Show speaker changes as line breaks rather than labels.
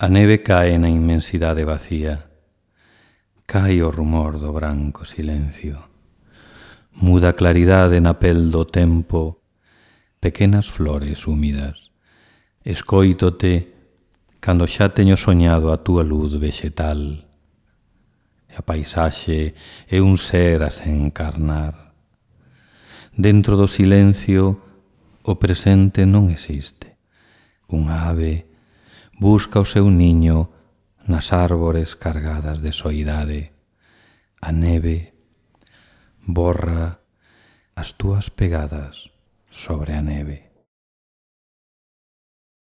A neve cae na inmensidade vacía, cae o rumor do branco silencio. Muda claridade na pel do tempo, pequenas flores húmidas. Escóitote cando xa teño soñado a túa luz vexetal. E a paisaxe é un ser a se encarnar. Dentro do silencio, o presente non existe. Unha ave busca o seu niño nas árbores cargadas de soidade. A neve borra as túas pegadas sobre a neve.